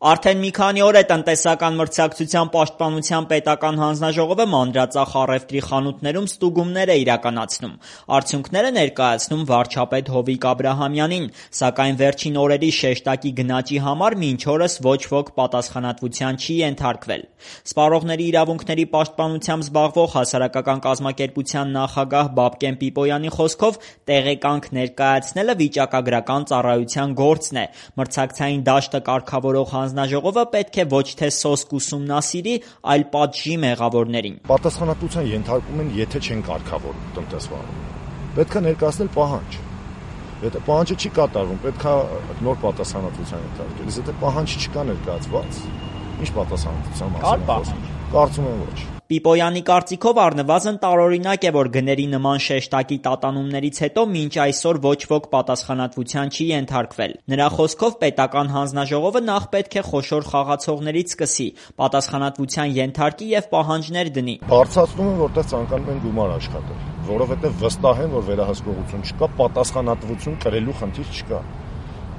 Արդեն մի քանի օր է տնտեսական մրցակցության պաշտպանության պետական հանձնաժողովը մանրածախ առևտրի խանութներում ստուգումներ է իրականացնում։ Արդյունքները ներկայացնում վարչապետ Հովիկ Աբրահամյանին, սակայն վերջին օրերի շեշտակի գնաճի համար մինչ օրս ոչ ոք պատասխանատվության չի ենթարկվել։ Սպառողների իրավունքների պաշտպանությամբ զբաղվող հասարակական կազմակերպության նախագահ Բաբկեն Պիպոյանի խոսքով տեղեկանք ներկայացնելը վիճակագրական ծառայության գործն է։ Մրցակցային դաշտը կարգավորող հանձնաժողովը պետք է ոչ թե սոսկ ուսումնասիրի, այլ պատժի մեղավորներին։ Պատասխանատվության ենթարկում են, եթե չեն կարգավորում տնտեսվարում։ Պետք է ներկայացնել պահանջ։ Եթե պահանջը չի կատարվում, պետք է նոր պատասխանատվության ենթարկել։ Եթե պահանջ չկա ներկայացված, ինչ պատասխանատվության մասին։ Կարծում եմ ոչ։ Պիպոյանի կարծիքով առնվազն տարօրինակ է, որ գների նման շեշտակի տատանումներից հետո մինչ այսօր ոչ ոք պատասխանատվության չի ենթարկվել։ Նրա խոսքով պետական հանձնաժողովը նախ պետք է խոշոր խաղացողներից սկսի, պատասխանատվության ենթարկի եւ պահանջներ դնի։ Բարձրացնում են, որտեղ ցանկանում են գումար աշխատել, որովհետեւ վստահ են, որ վերահսկողություն չկա, պատասխանատվություն կրելու խնդիր չկա։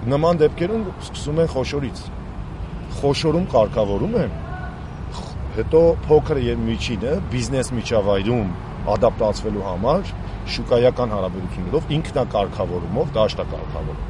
Նման դեպքերում սկսում են խոշորից։ Խոշորում կարգավորում են, հետո փոքր եւ միջինը բիզնես միջավայրում ադապտացվելու համար շուկայական հարաբերություններով ինքնակարգավորումով դաշտ է կարգավորում։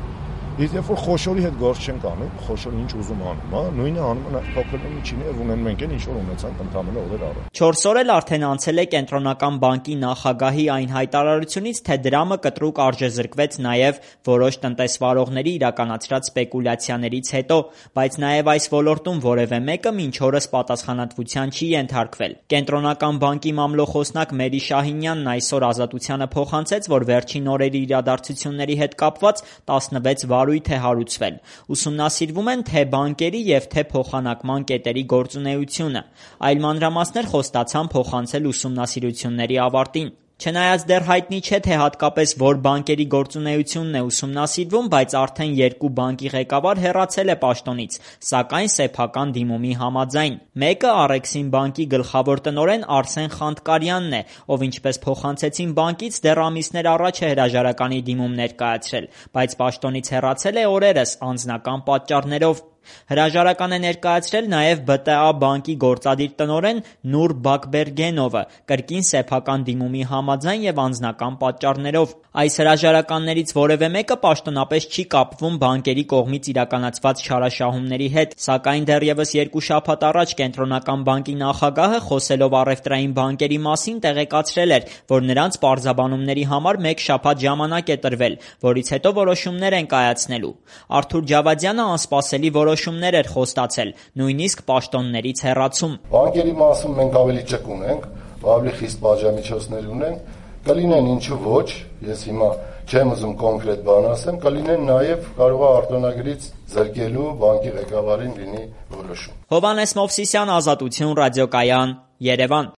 Իսկ երբ որ խոշորի հետ գործ չեն կանում, խոշորը ինչ ուզում անում, նույնը անում են փոքրն ու միջինը եւ ունեն մենք էլ ինչ որ ունեցանք ընդամենը օրեր առաջ։ 4 օր էլ արդեն անցել է կենտրոնական բանկի նախագահի այն հայտարարությունից, թե դրամը կտրուկ արժեզրկվեց նաեւ որոշ տնտեսվարողների իրականացրած սպեկուլյացիաներից հետո, բայց նաեւ այս ոլորտում որևէ մեկը մինչ օրս պատասխանատվության չի ենթարկվել։ Կենտրոնական բանկի մամլոխոսնակ Մերի Շահինյանն այսօր Ազատությանը փոխանցեց, որ վերջին օրերի իրադարձությունների հետ կապված 16 վարույթ է հարուցվել։ Ուսումնասիրվում են թե բանկերի եւ թե փոխանակման կետերի գործունեությունը։ Այլ մանրամասներ խոստացան փոխանցել ուսումնասիրությունների ավարտին։ Չնայած դեռ հայտնի չէ, թե հատկապես որ բանկերի գործունեությունն է ուսումնասիրվում, բայց արդեն 2 բանկի ղեկավար հեռացել է պաշտոնից, սակայն սեփական դիմումի համաձայն։ Մեկը Առեքսին բանկի գլխավոր տնօրեն Արսեն Խանտկարյանն է, ով ինչպես փոխանցեցին բանկից, դեռ ամիսներ առաջ է հրաժարականի դիմում ներկայացրել, բայց պաշտոնից հեռացել է օրերս անձնական պատճառներով։ Հրաժարական է ներկայացրել նաև ԲՏԱ բանկի գործադիր տնօրեն Նուր Բաքբերգենովը, կրկին սեփական դիմումի համաձայն եւ անձնական պատճառներով։ Այս հրաժարականներից որևէ մեկը պաշտոնապես չի կապվում բանկերի կողմից իրականացված չարաշահումների հետ, սակայն դեռևս 2 շաբաթ առաջ կենտրոնական բանկի նախագահը, խոսելով առևտրային բանկերի մասին, տեղեկացրել էր, որ նրանց պարզաբանումների համար 1 շաբաթ ժամանակ է տրվել, որից հետո որոշումներ են կայացնելու։ Արթուր Ջավադյանը անսպասելի որոշումներ էր խոստացել, նույնիսկ պաշտոններից հեռացում։ Բանկերի մասում մենք ավելի ճկուն ունենք, ավելի խիստ պատժամիջոցներ ունենք, կլինեն ինչու ոչ, ես հիմա չեմ ուզում կոնկրետ բան ասեմ, կլինեն նաև կարող է արտոնագրից զրկելու բանկի ղեկավարին լինի որոշում։ Հովհաննես Մովսիսյան, Ազատություն, ռադիոկայան, Երևան։